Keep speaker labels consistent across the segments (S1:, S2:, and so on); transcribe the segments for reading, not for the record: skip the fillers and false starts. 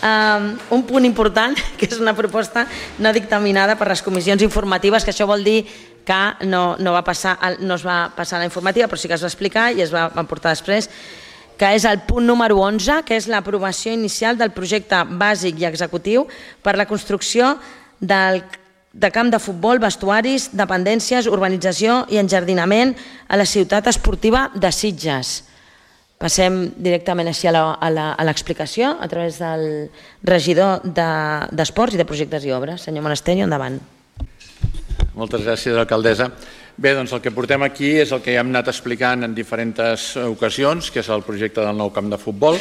S1: un punt important, que és una proposta no dictaminada per les comissions informatives, que això vol dir que no es va passar a la informativa, però sí que es va explicar i es va portar després, que és el punt número 11, que és l'aprovació inicial del projecte bàsic i executiu per la construcció de camp de futbol, vestuaris, dependències, urbanització i enjardinament a la ciutat esportiva de Sitges. Passem directament així a l'explicació a través del regidor d'Esports i de Projectes i Obres. Senyor Monasterio, endavant.
S2: Moltes gràcies, alcaldessa. Bé, doncs el que portem aquí és el que ja hem anat explicant en diferents ocasions, que és el projecte del nou camp de futbol.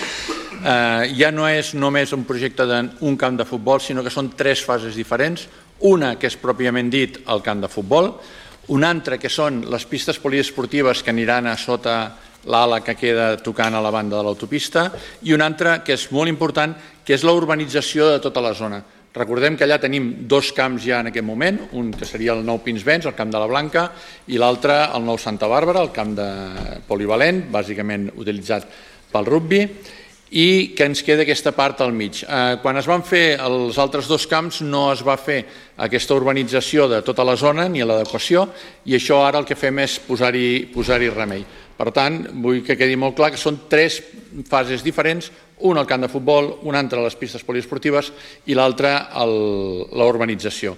S2: Ja no és només un projecte d'un camp de futbol, sinó que són 3 fases diferents. Una, que és pròpiament dit el camp de futbol. Una altra, que són les pistes poliesportives que aniran a sota l'ala que queda tocant a la banda de l'autopista. I una altra, que és molt important, que és la urbanització de tota la zona. Recordem que allà tenim 2 camps ja en aquest moment, un que seria el nou Pinsbens, el camp de la Blanca, i l'altre el nou Santa Bàrbara, el camp de polivalent, bàsicament utilitzat pel rugbi, i que ens queda aquesta part al mig. Quan es van fer els altres 2 camps no es va fer aquesta urbanització de tota la zona ni l'adequació, i això ara el que fem és posar-hi remei. Per tant, vull que quedi molt clar que són 3 fases diferents, una al camp de futbol, una altra a les pistes poliesportives i l'altra a la urbanització.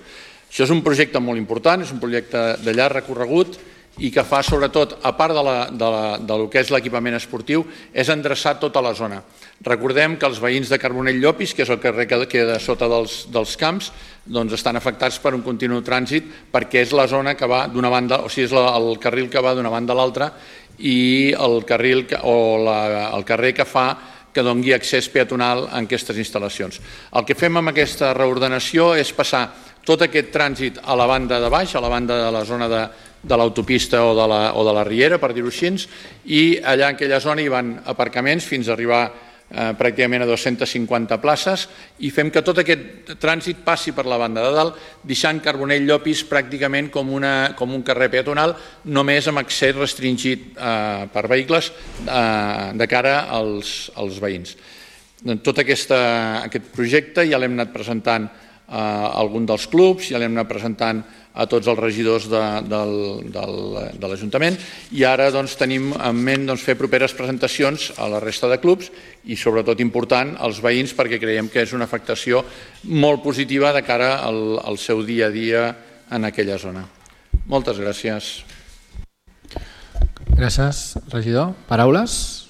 S2: Això és un projecte molt important, és un projecte de llarg recorregut i que fa sobretot, a part del que és l'equipament esportiu, és endreçar tota la zona. Recordem que els veïns de Carbonell Llopis, que és el carrer que queda sota dels camps, estan afectats per un continu trànsit perquè és la zona que va d'una banda, o sigui, és el carril que va d'una banda a l'altra i el carrer que fa que doni accés peatonal a aquestes instal·lacions. El que fem amb aquesta reordenació és passar tot aquest trànsit a la banda de baix, a la banda de la zona de l'autopista o de la riera, per dir-ho així, i allà en aquella zona hi van aparcaments fins a arribar pràcticament a 250 places i fem que tot aquest trànsit passi per la banda de dalt, deixant Carbonell Llopis pràcticament com un carrer peatonal, només amb accés restringit per vehicles de cara als veïns. Tot aquest projecte ja l'hem anat presentant a algun dels clubs, ja l'hem anat presentant a tots els regidors de l'Ajuntament i ara tenim en ment fer properes presentacions a la resta de clubs i sobretot important als veïns perquè creiem que és una afectació molt positiva de cara al seu dia a dia en aquella zona. Moltes gràcies.
S3: Gràcies, regidor. Paraules?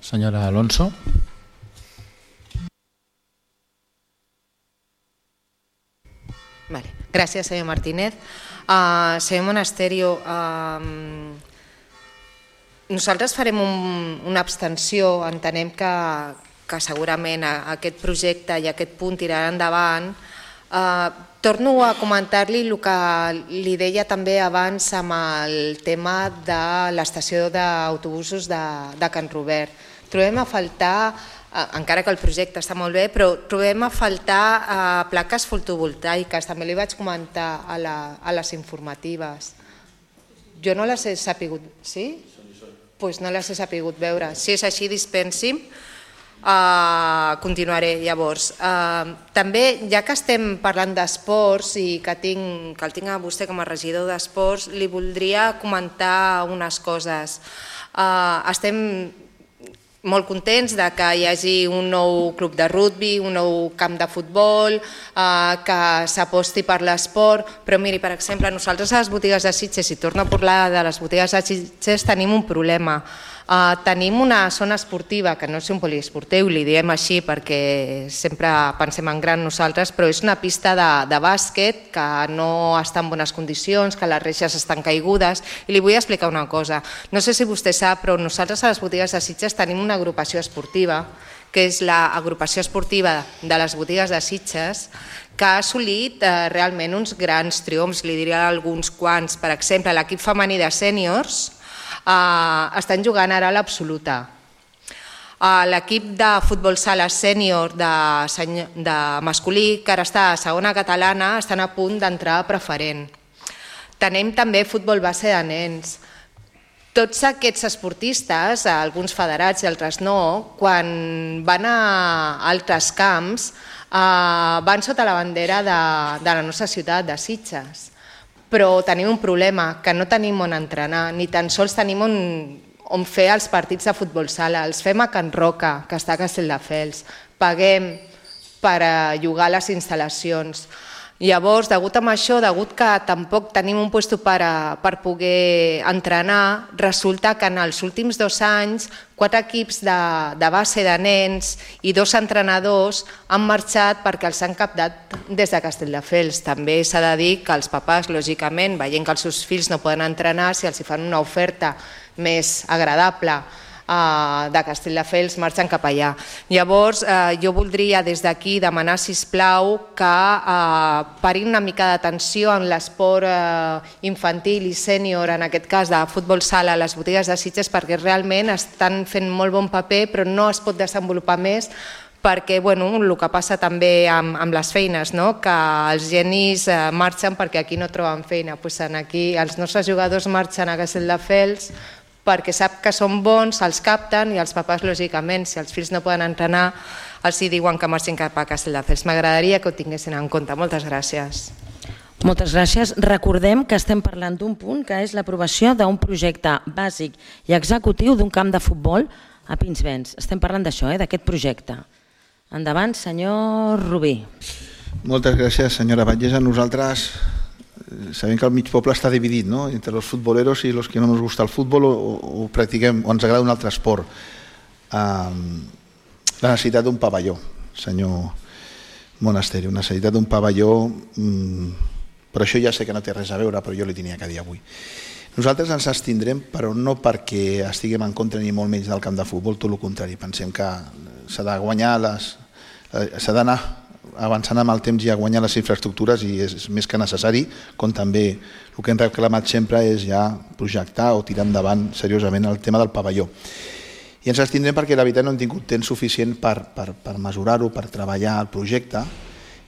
S3: Senyora Alonso.
S4: Gràcies, senyor Martínez. Senyor Monasterio, nosaltres farem una abstenció, entenem que segurament aquest projecte i aquest punt tirarà endavant. Torno a comentar-li el que li deia també abans amb el tema de l'estació d'autobusos de Can Robert. Trobem a faltar, encara que el projecte està molt bé, però trobem a faltar plaques fotovoltaiques, també li vaig comentar a les informatives. Jo no les he sapigut, sí? Doncs no les he sapigut veure. Si és així, dispensi'm, continuaré llavors. També, ja que estem parlant d'esports i que el tinc a vostè com a regidor d'esports, li voldria comentar unes coses. Estem molt contents que hi hagi un nou club de rugbi, un nou camp de futbol, que s'aposti per l'esport, però miri, per exemple, nosaltres a les botigues de Sitges, si torno a parlar de les botigues de Sitges, tenim un problema. Tenim una zona esportiva, que no és un poliesportiu, li diem així perquè sempre pensem en gran nosaltres, però és una pista de bàsquet que no està en bones condicions, que les reixes estan caigudes, i li vull explicar una cosa. No sé si vostè sap, però nosaltres a les botigues de Sitges tenim una agrupació esportiva, que és l'agrupació esportiva de les botigues de Sitges, que ha assolit realment uns grans triomfs, li diré alguns quants. Per exemple, l'equip femení de sèniors estan jugant ara a l'absoluta. L'equip de futbol sala sènior de masculí, que ara està a segona catalana, estan a punt d'entrar a preferent. Tenim també futbol base de nens. tots aquests esportistes, alguns federats i altres no, quan van a altres camps, van sota la bandera de la nostra ciutat, de Sitges. Però tenim un problema, que no tenim on entrenar, ni tan sols tenim on fer els partits de futbol sala. Els fem a Can Roca, que està a Castelldefels. Paguem per llogar les instal·lacions. Llavors, degut a això, degut que tampoc tenim un lloc per poder entrenar, resulta que en els últims 2 anys 4 equips de base de nens i 2 entrenadors han marxat perquè els han captat des de Castelldefels. També s'ha de dir que els papàs, lògicament, veient que els seus fills no poden entrenar, si els fan una oferta més agradable de Castelldefels, marxen cap allà. Llavors, jo voldria des d'aquí demanar, sisplau, que parin una mica d'atenció en l'esport infantil i sènior, en aquest cas de futbol sala, a les botigues de Sitges, perquè realment estan fent molt bon paper, però no es pot desenvolupar més, perquè el que passa també amb les feines, que els genis marxen perquè aquí no troben feina. Aquí els nostres jugadors marxen a Castelldefels perquè sap que són bons, els capten i els papàs, lògicament, si els fills no poden entrenar, els diuen que marxin cap a Castelldefels. M'agradaria que ho tinguessin en compte. Moltes gràcies.
S1: Moltes gràcies. Recordem que estem parlant d'un punt que és l'aprovació d'un projecte bàsic i executiu d'un camp de futbol a Pinsbens. Estem parlant d'això, d'aquest projecte. Endavant, senyor Rubí.
S5: Moltes gràcies, senyora Batllessa. Nosaltres sabem que el mig poble està dividit, no?, entre los futboleros i los que no nos gusta el futbol o practiquem o ens agrada un altre esport. La necessitat d'un pavelló, senyor Monasterio, una necessitat d'un pavelló, però això ja sé que no té res a veure, però jo li tenia que dir avui. Nosaltres ens abstindrem, però no perquè estiguem en contra ni molt menys del camp de futbol, tot el contrari. Pensem que s'ha de guanyar s'ha d'anar avançant amb el temps i a guanyar les infraestructures i és més que necessari, com també el que hem reclamat sempre és ja projectar o tirar endavant seriosament el tema del pavelló. I ens abstindrem perquè la veritat no hem tingut temps suficient per mesurar-ho, per treballar el projecte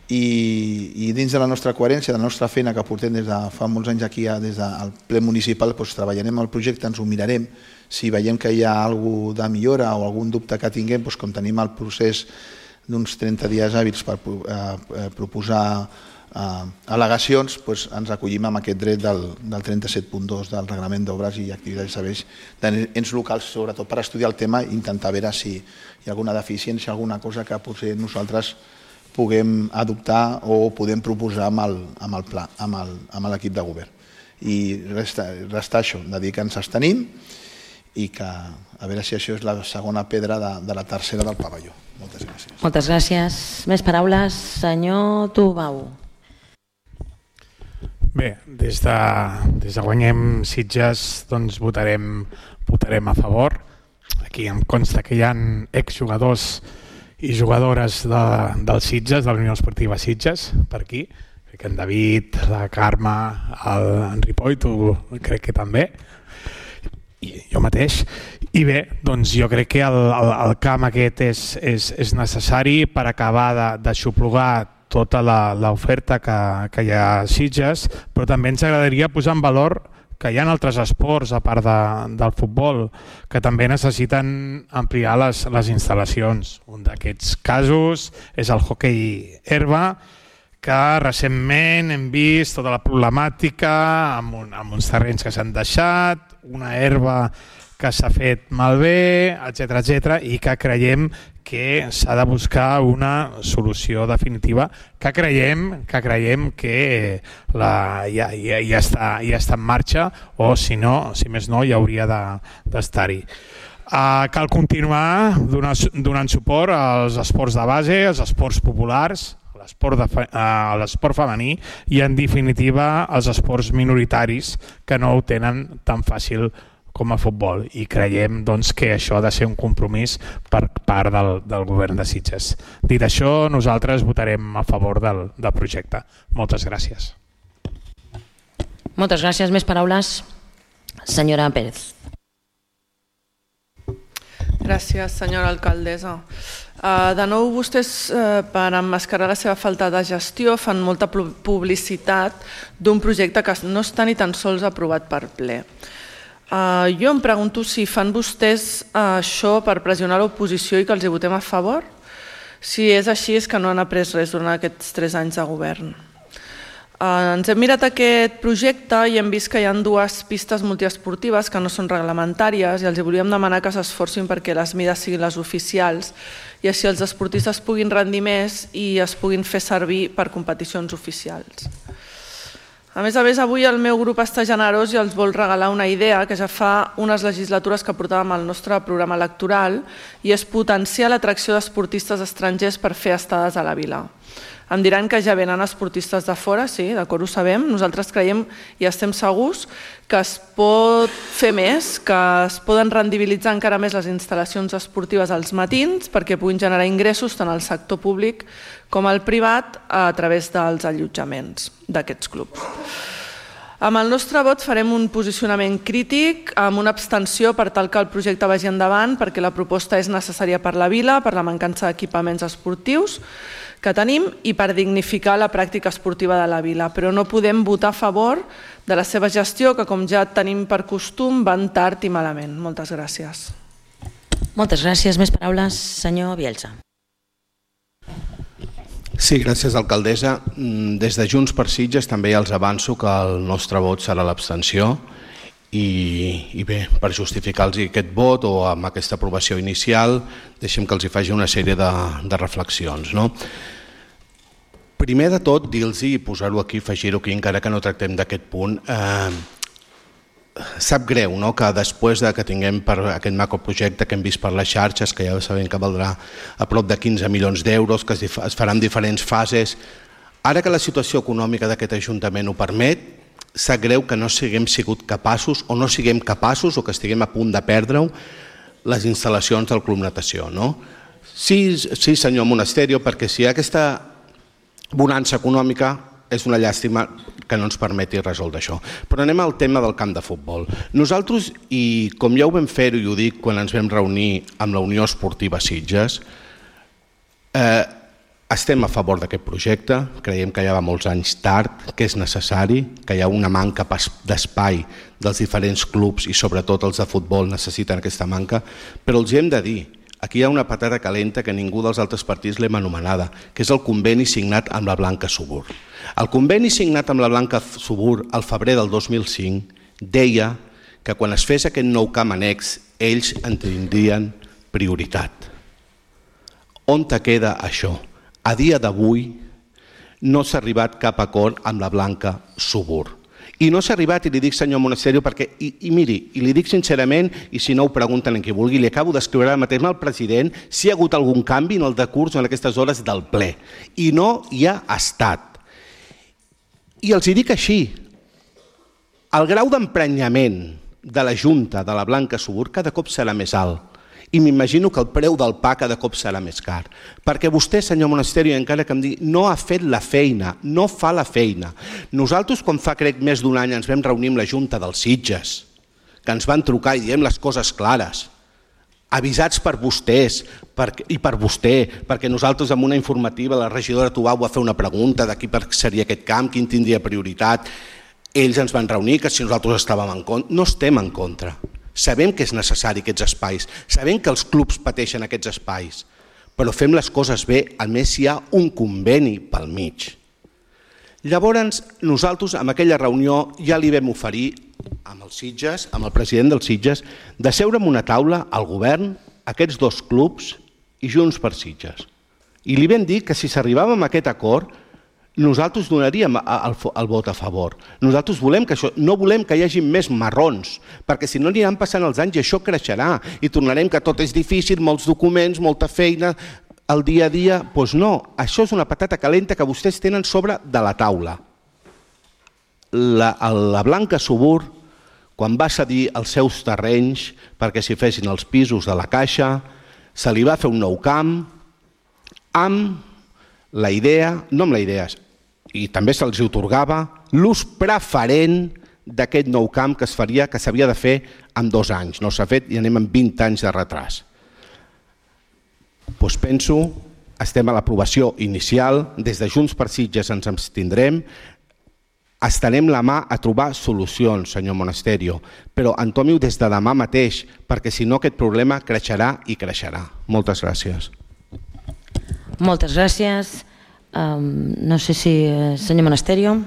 S5: i dins de la nostra coherència, de la nostra feina que portem des de fa molts anys aquí, des del ple municipal, treballarem el projecte, ens ho mirarem, si veiem que hi ha alguna cosa de millora o algun dubte que tinguem, com tenim el procés d'uns 30 dies hàbils per proposar al·legacions, ens acollim amb aquest dret del 37.2 del Reglament d'Obres i Activitats i Serveis d'ens locals, sobretot per estudiar el tema i intentar veure si hi ha alguna deficiència, alguna cosa que potser nosaltres puguem adoptar o podem proposar amb el pla, amb l'equip de govern. I resta això, de dir que ens abstenim i que a veure si això és la segona pedra de la tercera del pavelló. Moltes gràcies.
S1: Moltes gràcies. Més paraules, senyor Tubau.
S3: Bé, des de Guanyem Sitges votarem a favor. Aquí em consta que hi ha exjugadors i jugadores del Sitges, de la Unió Esportiva Sitges, per aquí. Crec que en David, la Carme, en Ripoll, tu crec que també, i jo mateix. I bé, doncs jo crec que el camp aquest és necessari per acabar d'aixoplugar tota l'oferta que hi ha a Sitges, però també ens agradaria posar en valor que hi ha altres esports, a part del futbol, que també necessiten ampliar les instal·lacions. Un d'aquests casos és el hoquei herba, que recentment hem vist tota la problemàtica amb uns terrenys que s'han deixat, una herba que s'ha fet malbé, etc., i que creiem que s'ha de buscar una solució definitiva que creiem que ja està en marxa o si més no ja hauria d'estar-hi. Cal continuar donant suport als esports de base, als esports populars, a l'esport femení i en definitiva als esports minoritaris que no ho tenen tan fàcil com a futbol i creiem que això ha de ser un compromís per part del govern de Sitges. Dit això, nosaltres votarem a favor del projecte. Moltes gràcies.
S1: Moltes gràcies. Més paraules? Senyora Pérez.
S6: Gràcies, senyora alcaldessa. De nou, vostès, per emmascarar la seva falta de gestió, fan molta publicitat d'un projecte que no està ni tan sols aprovat per ple. Jo em pregunto si fan vostès això per pressionar l'oposició i que els hi votem a favor. Si és així, és que no han après res durant aquests 3 anys de govern. Ens hem mirat aquest projecte i hem vist que hi ha 2 pistes multiesportives que no són reglamentàries i els volíem demanar que s'esforcin perquè les mides siguin les oficials i així els esportistes puguin rendir més i es puguin fer servir per competicions oficials. A més, avui el meu grup està generós i els vol regalar una idea que ja fa unes legislatures que portàvem al nostre programa electoral i és potenciar l'atracció d'esportistes estrangers per fer estades a la vila. Em diran que ja venen esportistes de fora, sí, d'acord, ho sabem. Nosaltres creiem i estem segurs que es pot fer més, que es poden rendibilitzar encara més les instal·lacions esportives als matins perquè puguin generar ingressos tant al sector públic com al privat a través dels allotjaments d'aquests clubs. Amb el nostre vot farem un posicionament crític amb una abstenció per tal que el projecte vagi endavant perquè la proposta és necessària per la vila, per la mancança d'equipaments esportius que tenim i per dignificar la pràctica esportiva de la vila, però no podem votar a favor de la seva gestió que, com ja tenim per costum, van tard i malament. Moltes gràcies.
S1: Moltes gràcies. Més paraules, senyor Bielsa.
S7: Sí, gràcies, alcaldessa. Des de Junts per Sitges també ja els avanço que el nostre vot serà l'abstenció i bé, per justificar-los aquest vot o amb aquesta aprovació inicial, deixem que els hi faci una sèrie de reflexions. Primer de tot, dir-los i posar-ho aquí, afegir-ho aquí, encara que no tractem d'aquest punt, sap greu que després que tinguem per aquest macroprojecte que hem vist per les xarxes, que ja sabem que valdrà a prop de 15 milions d'euros, que es farà en diferents fases, ara que la situació econòmica d'aquest Ajuntament ho permet, sap greu que no siguem sigut capaços o no siguem capaços o que estiguem a punt de perdre-ho les instal·lacions del Club Natació. Sí, senyor Monasterio, perquè si hi ha aquesta bonança econòmica és una llàstima que no ens permeti resoldre això. Però anem al tema del camp de futbol. Nosaltres, i com ja ho vam fer i ho dic quan ens vam reunir amb la Unió Esportiva Sitges, estem a favor d'aquest projecte, creiem que ja va molts anys tard, que és necessari, que hi ha una manca d'espai dels diferents clubs i sobretot els de futbol necessiten aquesta manca, però els hi hem de dir, aquí hi ha una patata calenta que ningú dels altres partits l'hem anomenada, que és el conveni signat amb la Blanca Subur. El conveni signat amb la Blanca Subur al febrer del 2005 deia que quan es fes aquest nou camp annex ells en tindrien prioritat. On te queda això? A dia d'avui no s'ha arribat cap acord amb la Blanca Subur. I no s'ha arribat, i li dic senyor Monasterio, perquè, i miri, i li dic sincerament, i si no ho pregunten en qui vulgui, li acabo d'escriure ara mateix al president si hi ha hagut algun canvi en el decurs en aquestes hores del ple. I no hi ha estat. I els hi dic així, el grau d'emprenyament de la Junta de la Blanca Subur cada cop serà més alt. I m'imagino que el preu del pa cada cop serà més car. Perquè vostè, senyor Monasterio, encara que em digui, no ha fet la feina, no fa la feina. Nosaltres, quan fa crec més d'un any, ens vam reunir amb la Junta dels Sitges, que ens van trucar i diem les coses clares, avisats per vostès i per vostè, perquè nosaltres amb una informativa, la regidora Tubau va fer una pregunta de qui seria aquest camp, quin tindria prioritat. Ells ens van reunir, que si nosaltres estàvem en contra, no estem en contra. Sabem que és necessari aquests espais, sabem que els clubs pateixen aquests espais, però fem les coses bé, a més hi ha un conveni pel mig. Llavors, nosaltres amb aquella reunió ja li vam oferir amb els Sitges, amb el president dels Sitges, de seure en una taula al govern, aquests dos clubs i Junts per Sitges. I li vam dir que si s'arribava a aquest acord, nosaltres donaríem el vot a favor. Nosaltres volem que això, no volem que hi hagi més marrons, perquè si no aniran passant els anys i això creixerà i tornarem que tot és difícil, molts documents, molta feina, el dia a dia. Doncs no, això és una patata calenta que vostès tenen sobre de la taula. La Blanca Subur, quan va cedir els seus terrenys perquè s'hi fessin els pisos de la Caixa, se li va fer un nou camp amb la idea, no amb la idea, i també se'ls atorgava l'ús preferent d'aquest nou camp que s'havia de fer en 2 anys. No s'ha fet i anem amb 20 anys de retras. Doncs penso, estem a l'aprovació inicial, des de Junts per Sitges ens abstindrem, Estenem la mà a trobar solucions, senyor Monasterio, però entomi-ho des de demà mateix, perquè si no aquest problema creixerà i creixerà. Moltes gràcies.
S1: Moltes gràcies. No sé si... Senyor Monasterio.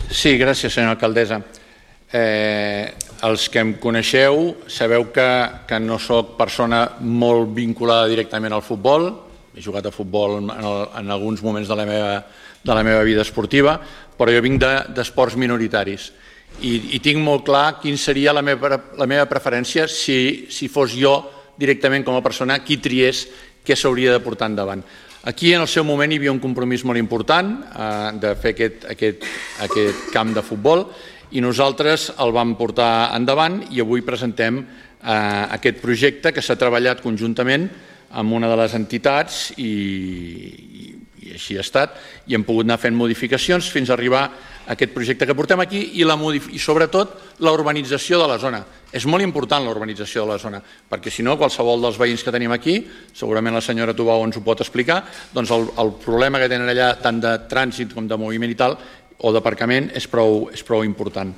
S2: Sí, gràcies, senyora alcaldessa. Els que em coneixeu sabeu que no sóc persona molt vinculada directament al futbol. He jugat a futbol en alguns moments de la meva vida esportiva, però jo vinc d'esports minoritaris i tinc molt clar quin seria la meva preferència si fos jo directament com a persona qui triés què s'hauria de portar endavant. Aquí en el seu moment hi havia un compromís molt important de fer aquest camp de futbol i nosaltres el vam portar endavant i avui presentem aquest projecte que s'ha treballat conjuntament amb una de les entitats i així ha estat i hem pogut anar fent modificacions fins a arribar a aquest projecte que portem aquí i sobretot la urbanització de la zona. És molt important la urbanització de la zona perquè si no qualsevol dels veïns que tenim aquí, segurament la senyora Tubau ens ho pot explicar, doncs el problema que tenen allà tant de trànsit com de moviment i tal o d'aparcament és prou important.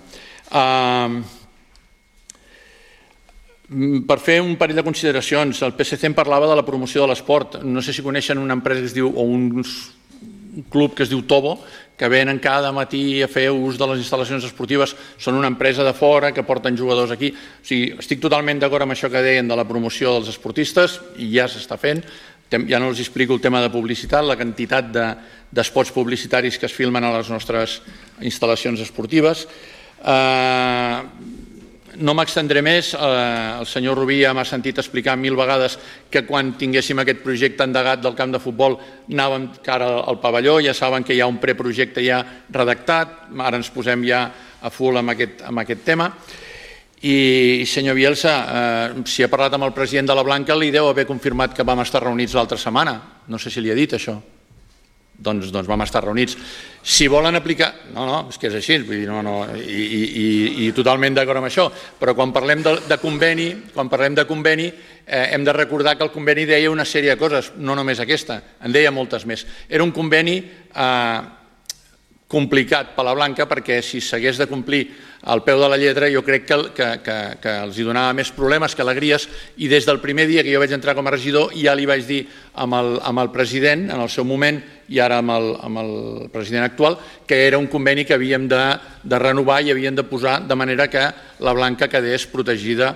S2: Per fer un parell de consideracions, el PSC em parlava de la promoció de l'esport. No sé si coneixen una empresa que es diu, o un club que es diu Tobo, que venen cada matí a fer ús de les instal·lacions esportives. Són una empresa de fora que porten jugadors aquí. O sigui, estic totalment d'acord amb això que deien de la promoció dels esportistes i ja s'està fent. Ja no els explico el tema de publicitat, la quantitat d'espots publicitaris que es filmen a les nostres instal·lacions esportives. No m'extendré més, el senyor Rubí ja m'ha sentit explicar 1000 vegades que quan tinguéssim aquest projecte endegat del camp de futbol anàvem cara al pavelló, ja saben que hi ha un preprojecte ja redactat, ara ens posem ja a full amb aquest tema. I senyor Bielsa, si ha parlat amb el president de la Blanca li deu haver confirmat que vam estar reunits l'altra setmana, no sé si li ha dit això. Doncs vam estar reunits. Si volen aplicar... No, és que és així, i totalment d'acord amb això, però quan parlem de conveni, hem de recordar que el conveni deia una sèrie de coses, no només aquesta, en deia moltes més. Era un conveni complicat per la Blanca perquè si s'hagués de complir al peu de la lletra jo crec que els hi donava més problemes que alegries i des del primer dia que jo vaig entrar com a regidor ja li vaig dir amb el president en el seu moment i ara amb el president actual que era un conveni que havíem de renovar i havíem de posar de manera que la Blanca quedés protegida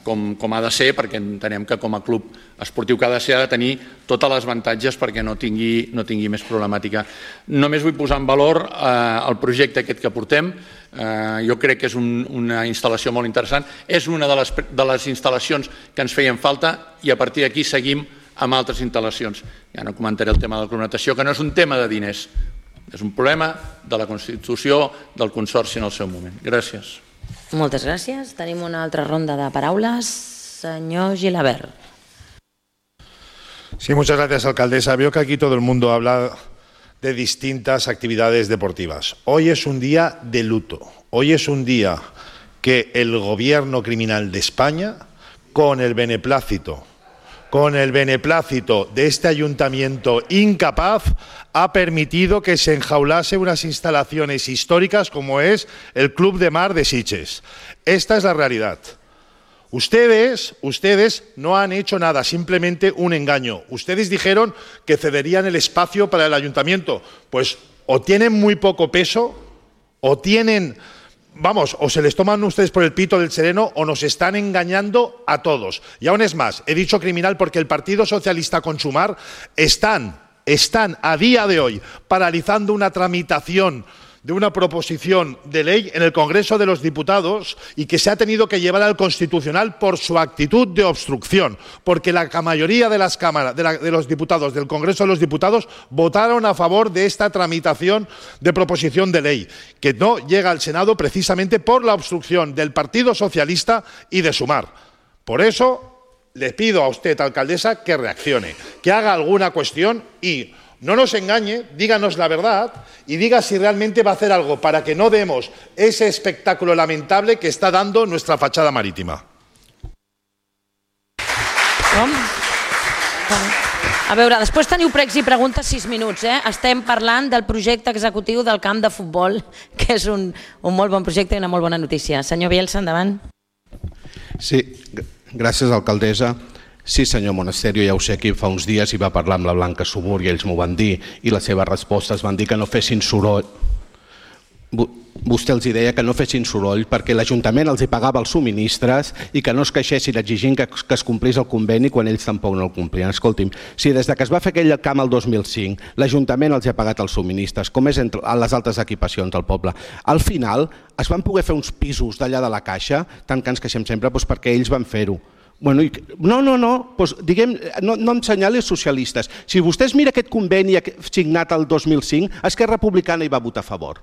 S2: com ha de ser perquè entenem que com a club esportiu que ha de ser ha de tenir totes les avantatges perquè no tingui més problemàtica. Només vull posar en valor el projecte aquest que portem. Jo crec que és una instal·lació molt interessant. És una de les instal·lacions que ens feien falta i a partir d'aquí seguim amb altres instal·lacions. Ja no comentaré el tema de la climatació, que no és un tema de diners, és un problema de la Constitució del Consorci en el seu moment. Gràcies.
S1: Moltes gràcies. Tenim una altra ronda de paraules. Señor Gilabert.
S8: Sí, muchas gracias, alcaldesa. Veo que aquí todo el mundo habla de distintas actividades deportivas. Hoy es un día de luto. Hoy es un día que el gobierno criminal de España, con el beneplácito de este ayuntamiento incapaz, ha permitido que se enjaulase unas instalaciones históricas como es el Club de Mar de Sitges. Esta es la realidad. Ustedes no han hecho nada, simplemente un engaño. Ustedes dijeron que cederían el espacio para el ayuntamiento. Pues o tienen muy poco peso, o tienen... o se les toman ustedes por el pito del sereno o nos están engañando a todos. Y aún es más, he dicho criminal porque el Partido Socialista con Sumar están a día de hoy paralizando una tramitación de una proposición de ley en el Congreso de los Diputados y que se ha tenido que llevar al Constitucional por su actitud de obstrucción, porque la mayoría de las cámaras, de los diputados del Congreso de los Diputados votaron a favor de esta tramitación de proposición de ley, que no llega al Senado precisamente por la obstrucción del Partido Socialista y de Sumar. Por eso le pido a usted, alcaldesa, que reaccione, que haga alguna cuestión y no nos engañe, díganos la verdad y diga si realmente va a hacer algo para que no demos ese espectáculo lamentable que está dando nuestra fachada marítima.
S1: A veure, després teniu pregs i preguntes 6 minuts. Estem parlant del projecte executiu del camp de futbol, que és un molt bon projecte i una molt bona notícia. Senyor Bielsa, endavant.
S7: Sí, gràcies, alcaldessa. Sí, senyor Monasterio, ja ho sé, aquí fa uns dies hi va parlar amb la Blanca Subur i ells m'ho van dir i les seves respostes van dir que no fessin soroll. Vostè els deia que no fessin soroll perquè l'Ajuntament els hi pagava els subministres i que no es queixessin exigint que es complís el conveni quan ells tampoc no el complien. Escolti'm, si des que es va fer aquell camp el 2005 l'Ajuntament els ha pagat els subministres, com és entre les altres equipacions del poble, al final es van poder fer uns pisos d'allà de la Caixa, tant que ens queixem sempre, perquè ells van fer-ho. No em senyali els socialistes. Si vostès mira aquest conveni signat el 2005, Esquerra Republicana hi va votar a favor.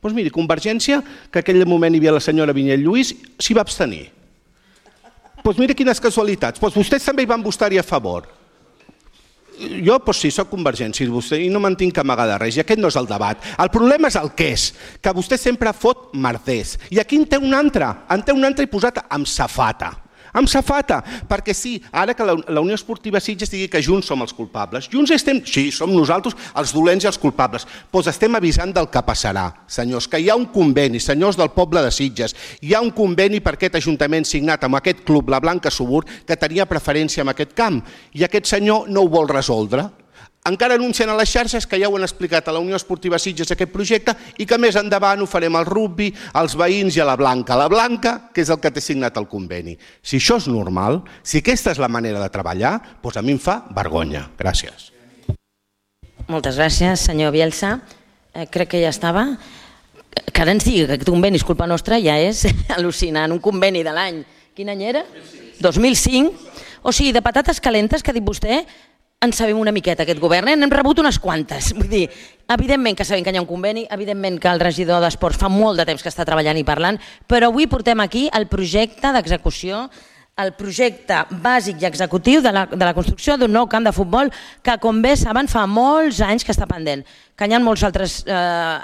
S7: Doncs miri, Convergència, que en aquell moment hi havia la senyora Vinyet Lluís, s'hi va abstenir. Doncs mira quines casualitats. Doncs vostès també hi van votar-hi a favor. Jo, sí, soc Convergència i no me'n tinc que amagar de res, i aquest no és el debat. El problema és el que és, que vostè sempre fot merders. I aquí en té un altre i posat amb safata. Amb safata, perquè sí, ara que la Unió Esportiva Sitges digui que Junts som els culpables. Junts estem, sí, som nosaltres els dolents i els culpables, doncs estem avisant del que passarà, senyors, que hi ha un conveni, senyors del poble de Sitges, hi ha un conveni per aquest Ajuntament signat amb aquest club, la Blanca Subur, que tenia preferència en aquest camp, i aquest senyor no ho vol resoldre. Encara anuncien a les xarxes que ja ho han explicat a la Unió Esportiva Sitges aquest projecte i que més endavant ho farem al rugby, als veïns i a la Blanca. La Blanca, que és el que té signat el conveni. Si això és normal, si aquesta és la manera de treballar, doncs a mi em fa vergonya. Gràcies.
S1: Moltes gràcies, senyor Bielsa. Crec que ja estava. Que ara ens digui que aquest conveni és culpa nostra ja és al·lucinant. Un conveni de l'any, quin any era? 2005. O sigui, de patates calentes que ha dit vostè, en sabem una miqueta aquest govern, n'hem rebut unes quantes. Vull dir, evidentment que sabem que hi ha un conveni, evidentment que el regidor d'Esports fa molt de temps que està treballant i parlant, però avui portem aquí el projecte d'execució, el projecte bàsic i executiu de la construcció d'un nou camp de futbol que, com bé saben, fa molts anys que està pendent, que hi ha molts altres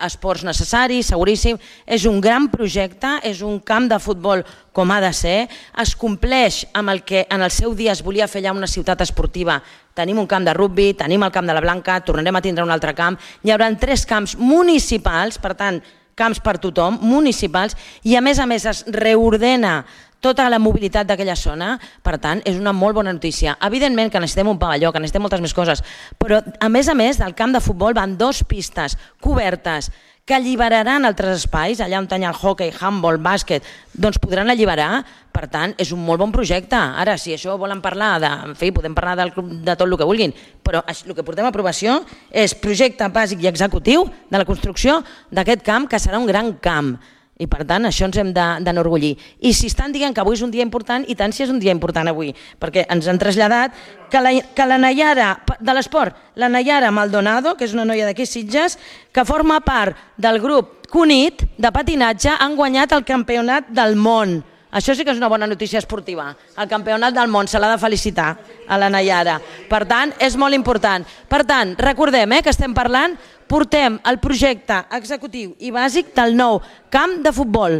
S1: esports necessaris, seguríssim. És un gran projecte, és un camp de futbol com ha de ser, es compleix amb el que en el seu dia es volia fer allà una ciutat esportiva. Tenim un camp de rugby, tenim el camp de la Blanca, tornarem a tindre un altre camp, hi haurà 3 camps municipals, per tant, camps per tothom, municipals, i a més es reordena tota la mobilitat d'aquella zona. Per tant, és una molt bona notícia. Evidentment que necessitem un pavelló, que necessitem moltes més coses, però a més del camp de futbol van 2 pistes cobertes que alliberaran altres espais, allà on hi ha el hockey, handball, bàsquet, doncs podran alliberar. Per tant, és un molt bon projecte. Ara, si això volen parlar en fi, podem parlar de tot el que vulguin, però el que portem a aprovació és projecte bàsic i executiu de la construcció d'aquest camp, que serà un gran camp. I per tant, això ens hem d'enorgullir. I si estan dient que avui és un dia important, i tant si és un dia important avui, perquè ens han traslladat que la Nayara de l'esport, la Nayara Maldonado, que és una noia d'aquí Sitges, que forma part del grup Cunit de patinatge, han guanyat el campionat del món. Això sí que és una bona notícia esportiva. El campionat del món, se l'ha de felicitar a la Nayara. Per tant, és molt important. Per tant, recordem que estem parlant, portem el projecte executiu i bàsic del nou camp de futbol.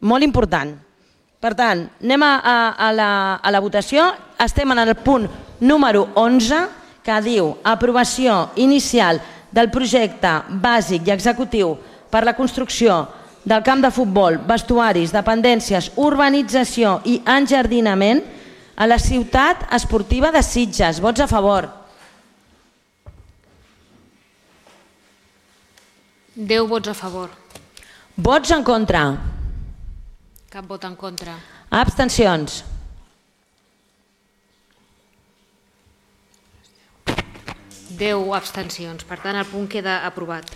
S1: Molt important. Per tant, anem a la votació. Estem en el punt número 11, que diu aprovació inicial del projecte bàsic i executiu per la construcció del camp de futbol, vestuaris, dependències, urbanització i enjardinament a la ciutat esportiva de Sitges. Vots a favor.
S9: 10 vots a favor.
S1: Vots en contra.
S9: Cap vot en contra.
S1: Abstencions.
S9: 10 abstencions. Per tant, el punt queda aprovat.